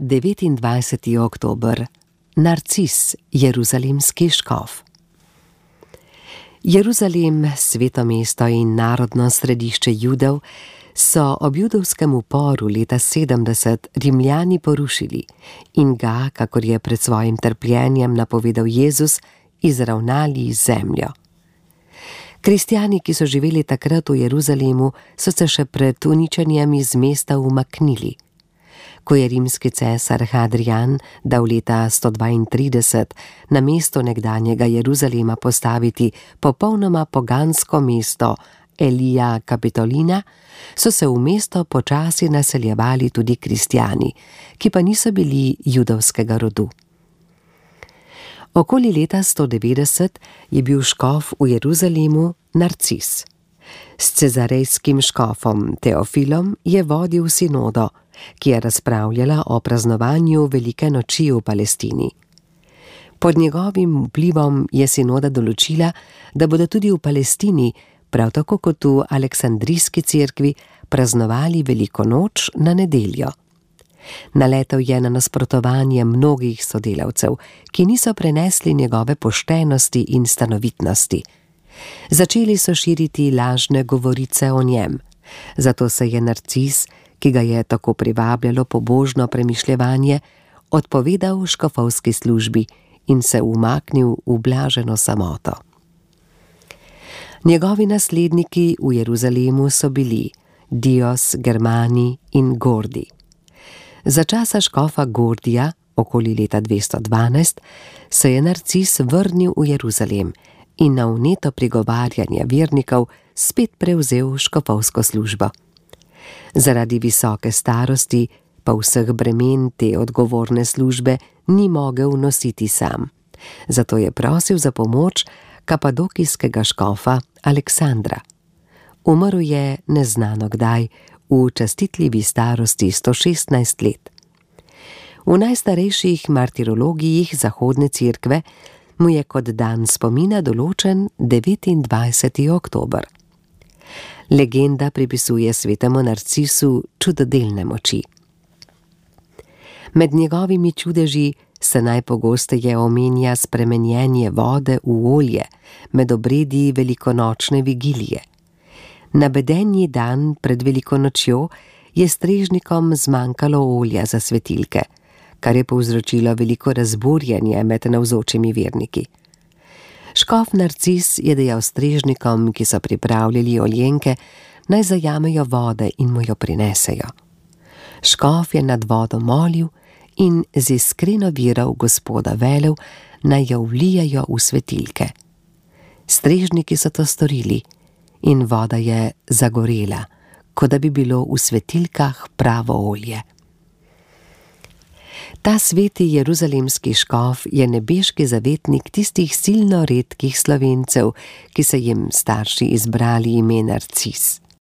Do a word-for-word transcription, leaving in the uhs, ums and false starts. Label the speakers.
Speaker 1: devetindvajseti oktober. Narcis, jeruzalemski škof. Jeruzalem, sveto mesto in narodno središče Judov, so ob judovskem uporu leta sedemdeset Rimljani porušili in ga, kakor je pred svojim trpljenjem napovedal Jezus, izravnali z zemljo. Kristjani, ki so živeli takrat v Jeruzalemu, so se še pred uničenjem iz mesta umaknili. Ko je rimski cesar Hadrian dal leta sto dvaintrideset na mesto nekdanjega Jeruzalema postaviti popolnoma pogansko mesto Elija Kapitolina, so se v mesto počasi naseljevali tudi kristjani, ki pa niso bili judovskega rodu. Okoli leta sto devetdeset je bil škof v Jeruzalemu Narcis. S cezarejskim škofom Teofilom je vodil sinodo, ki je razpravljala o praznovanju velike noči v Palestini. Pod njegovim vplivom je sinoda določila, da bodo tudi v Palestini, prav tako kot v Aleksandrijski cerkvi, praznovali veliko noč na nedeljo. Naletel je na nasprotovanje mnogih sodelavcev, ki niso prenesli njegove poštenosti in stanovitnosti. Začeli so širiti lažne govorice o njem, zato se je Narcis, ki ga je tako privabljalo pobožno premišljevanje, odpovedal škofovski službi in se umaknil v blaženo samoto. Njegovi nasledniki v Jeruzalemu so bili Dios, Germani in Gordi. Za časa škofa Gordija, okoli leta dvesto dvanajst, se je Narcis vrnil v Jeruzalem in na vneto prigovarjanje vernikov spet prevzel škofovsko službo. Zaradi visoke starosti pa vseh bremen te odgovorne službe ni mogel nositi sam. Zato je prosil za pomoč kapadokijskega škofa Aleksandra. Umrl je neznano kdaj, v častitljivi starosti sto šestnajst let. V najstarejših martirologijih zahodne cerkve mu je kot dan spomina določen devetindvajseti oktober. Legenda pripisuje svetemu Narcisu čudodelne moči. Med njegovimi čudeži se najpogosteje omenja spremenjenje vode v olje med obredi velikonočne vigilije. Na bedenji dan pred veliko nočjo je strežnikom zmanjkalo olja za svetilke, kar je povzročilo veliko razburjenje med navzočimi verniki. Škof Narcis je dejal strežnikom, ki so pripravljali oljenke, naj zajamejo vode in mu jo prinesejo. Škof je nad vodo molil in z iskreno vero v Gospoda velel, naj jo vlijajo v svetilke. Strežniki so to storili in voda je zagorela, kot da bi bilo v svetilkah pravo olje. Ta sveti jeruzalemski škof je nebeški zavetnik tistih silno redkih Slovencev, ki so jim starši izbrali ime Narcis.